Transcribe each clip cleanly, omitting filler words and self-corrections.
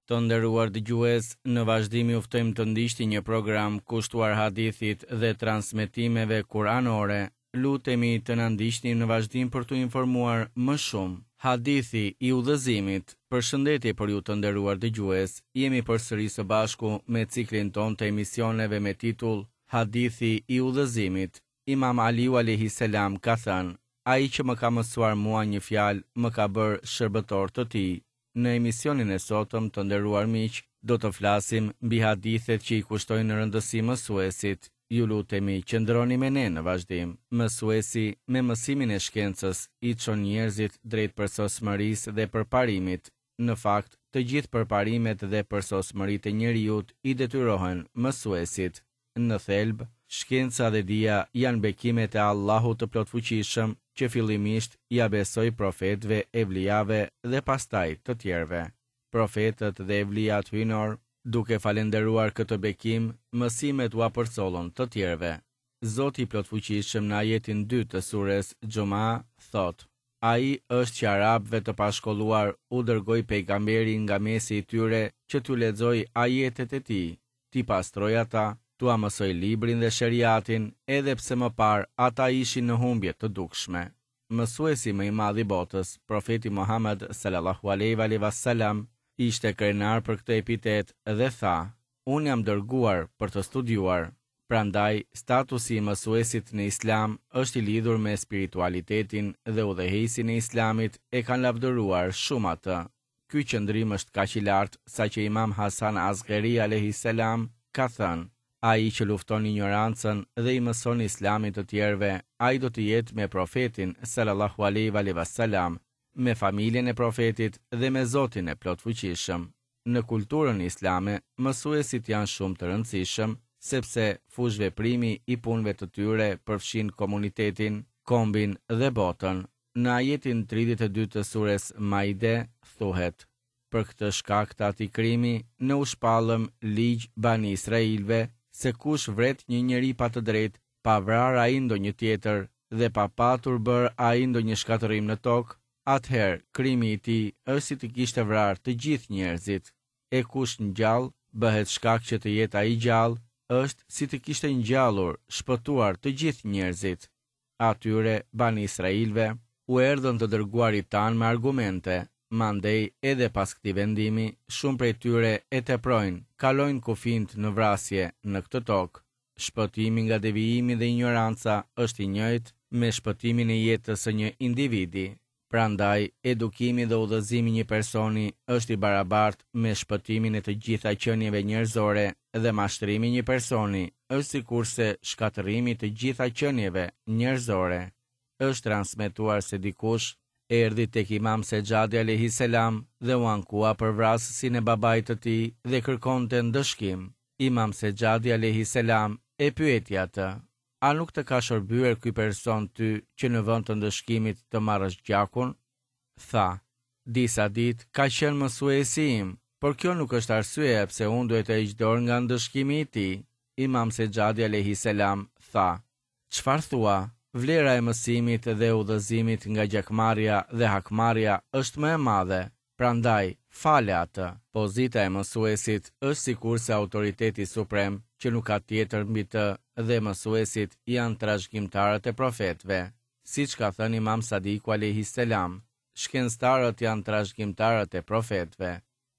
Të nderuar dëgjues, në vazhdim ju ftojmë të ndiqni një program kushtuar hadithit dhe transmetimeve kuranore. Lutemi të na ndiqni në vazhdim për t'u informuar më shumë. Hadithi i udhëzimit. Përshëndetje për ju të nderuar dëgjues. Jemi përsëri së bashku me ciklin tonë të emisioneve me titull Hadithi i udhëzimit. Imam Aliu alejhi selam ka thënë, Ai që më ka mësuar mua një fjalë, më ka bërë shërbëtor të tij. Në emisionin e sotëm, të nderuar miq, do të flasim mbi hadithet që i kushtojnë rëndësi mësuesit. Ju lutemi, qëndroni me ne në vazhdim. Mësuesi, me mësimin e shkencës, i çon njerëzit drejt përsosmërisë dhe përparimit. Në fakt, të gjithë përparimet dhe përsosmëritë e njeriut i detyrohen mësuesit. Në thelb, shkenca dhe dija janë bekimet e Allahut të Plotfuqishëm që fillimisht ia besoi profetëve evlijave dhe pastaj të tjerëve. Profetët dhe evlijat hyjnorë, duke falënderuar këtë bekim, mësimet ua përcollën të tjerëve. Zoti i Plotfuqishëm në ajetin dy të sures Xhuma thotë, Ai është që arabëve të pashkolluar u dërgoi pejgamberin nga mesi i tyre që t'ju lexojë ajetet e tij, t'i pastrojë ata, t'ua mësojë librin dhe sheriatin, edhe pse më parë ata ishin në humbje të dukshme. Mësuesi më i madh i botës, Profeti Muhamed sallallahu alejhi ve alejhi ve selam, ishte krenar për këtë epitet dhe tha, Unë jam dërguar për të studiuar. Prandaj, statusi i mësuesit në Islam është i lidhur me spiritualitetin dhe udhëheqësin e Islamit e kanë lavdëruar shumë atë. Ky qëndrim është kaq i lartë saqë Imam Hasan Askeri alejhi selam ka thënë, Ai që lufton injorancën dhe i mëson Islamin të tjerëve, ai do të jetë me Profetin, sallallahu alejhi ve alejhi ve selam, me familjen e Profetit dhe me Zotin e Plotfuqishëm. Në kulturën islame, mësuesit janë shumë të rëndësishëm, sepse fushëveprimi i punëve të tyre përfshin komunitetin, kombin dhe botën. Në ajetin 32 të sures Maide thuhet, Për këtë shkak të atij krimi, ne u shpallëm ligj Bani Israilëve se kush vret një njeri pa të drejtë, pa vrarë ai ndonjë tjetër dhe pa patur bërë ai ndonjë shkatërrim në tokë, atëherë krimi i tij është si të kishte vrarë të gjithë njerëzit. E kush ngjall, bëhet shkak që të jetë ai gjallë, është si të kishte ngjallur, shpëtuar të gjithë njerëzit. Atyre, Bani Israilëve, u erdhën të dërguarit tanë me argumente, mandej edhe pas këtij vendimi, shumë prej tyre e teprojnë, kalojnë kufinjtë në vrasje në këtë tokë. Shpëtimi nga devijimi dhe injoranca është i njëjtë me shpëtimin e jetës së një individi. Prandaj, edukimi dhe udhëzimi i një personi është i barabartë me shpëtimin e të gjitha qenieve njerëzore dhe mashtrimi i një personi është sikurse shkatërrimi i të gjitha qenieve njerëzore. Është transmetuar se dikush erdhi tek Imam Sexhadi alejhi selam dhe u ankua për vrasësin e babait të tij dhe kërkonte ndëshkim. Imam Sexhadi alejhi selam e pyeti atë, A nuk të ka shërbyer ky person ty që në vend të ndëshkimit të marrësh gjakun? Tha, Disa ditë ka qenë mësuesi im, por kjo nuk është arsyeja pse unë duhet të heq dorë nga ndëshkimi i tij. Imam Sexhadi alejhi selam tha, Çfarë thua? Vlera e mësimit dhe udhëzimit nga gjakmarrja dhe hakmarrja është më e madhe, prandaj, fale atë. Pozita e mësuesit është sikurse autoriteti suprem që nuk ka tjetër mbi të dhe mësuesit janë trashëgimtarët e profetëve. Siç ka thënë Imam Sadiku alejhi selam, Shkencëtarët janë trashëgimtarët e profetëve.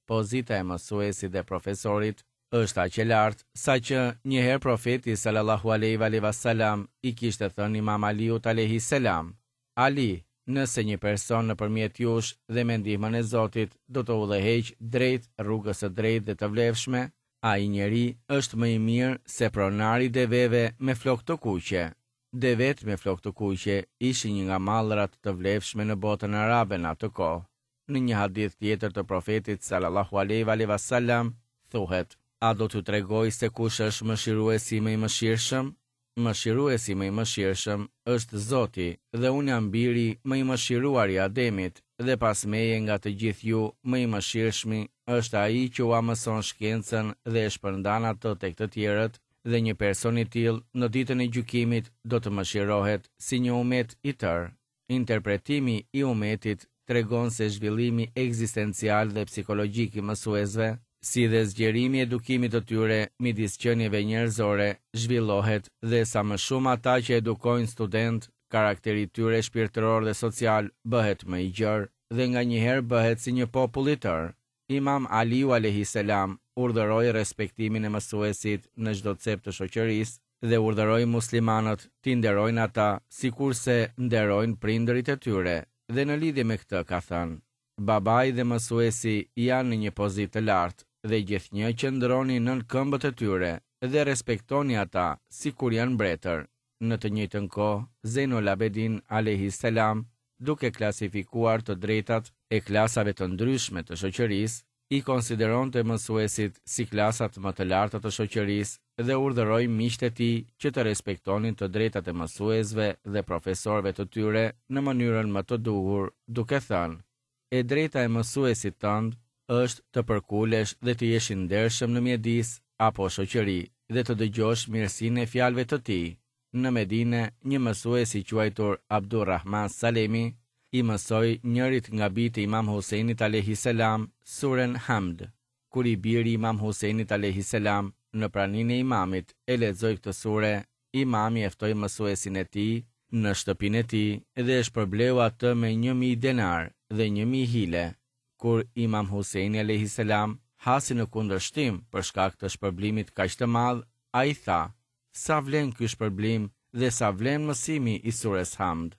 Pozita e mësuesit dhe profesorit është aq e lartë, saqë një herë Profeti sallallahu alejhi ve alejhi ve selam i kishte thënë Imam Aliut alejhi selam, Ali, nëse një person nëpërmjet jush dhe me ndihmën e Zotit do të udhëheqë drejt rrugës së drejtë dhe të vlefshme, ai njeri është më i mirë se pronari i deveve me flokë të kuqe. Devetë me flokë të kuqe ishin një nga mallrat të vlefshme në botën arabe në atë kohë. Në një hadith tjetër të Profetit sallallahu alejhi ve alejhi ve selam thuhet, A do t'ju tregoj se kush është mëshiruesi më i mëshirshëm? Mëshiruesi më i mëshirshëm është Zoti dhe unë jam biri më i mëshiruar i Ademit dhe pas meje nga të gjithë ju më i mëshirshmi është ai që ua mëson shkencën dhe e shpërndan atë tek të tjerët dhe një person i tillë në ditën e gjykimit do të mëshirohet si një umet i tërë. Interpretimi i umetit. tregon se zhvillimi ekzistencial dhe psikologjik i mësuesve, si dhe zgjerimi i edukimit të tyre midis qenieve njerëzore zhvillohet dhe sa më shumë ata që edukojnë studentë, karakteri i tyre shpirtëror dhe social bëhet më i gjerë dhe nganjëherë bëhet si një popull i tërë. Imam Aliu alejhi selam urdhëroi respektimin e mësuesit në çdo cep të shoqërisë dhe urdhëroi muslimanët t'i nderojnë ata sikurse nderojnë prindërit e tyre dhe në lidhje me këtë ka thënë, Babai dhe mësuesi janë në një pozitë të lartë dhe gjithnjë qëndroni nën këmbët e tyre dhe respektoni ata sikur janë mbretër. Në të njëjtën kohë, Zejnul Abedin alejhi selam, duke klasifikuar të drejtat e klasave të ndryshme të shoqërisë, i konsideronte mësuesit si klasat më të larta të shoqërisë dhe urdhëroi miqtë e tij që të respektonin të drejtat e mësuesve dhe profesorëve të tyre në mënyrën më të duhur, duke thënë, E drejta e mësuesit tënd është të përkulesh dhe të jesh i ndershëm në mjedis apo shoqëri dhe të dëgjosh mirësinë e fjalëve të tij. Në Medine, një mësues i quajtur Abdurrahman Salemi i mësoi njërit nga bijtë e Imam Husejnit alejhi selam suren Hamd. Kur i biri i Imam Husejnit alejhi selam në praninë e Imamit e lexoi këtë sure, Imami e ftoi mësuesin e tij në shtëpinë e tij dhe e shpërbleu atë me 1000 denarë dhe 1000 hile. Kur Imam Husejni alejhi selam hasi në kundërshtim për shkak të shpërblimit kaq të madh, ai tha, Sa vlen ky shpërblim dhe sa vlen mësimi i sures Hamd?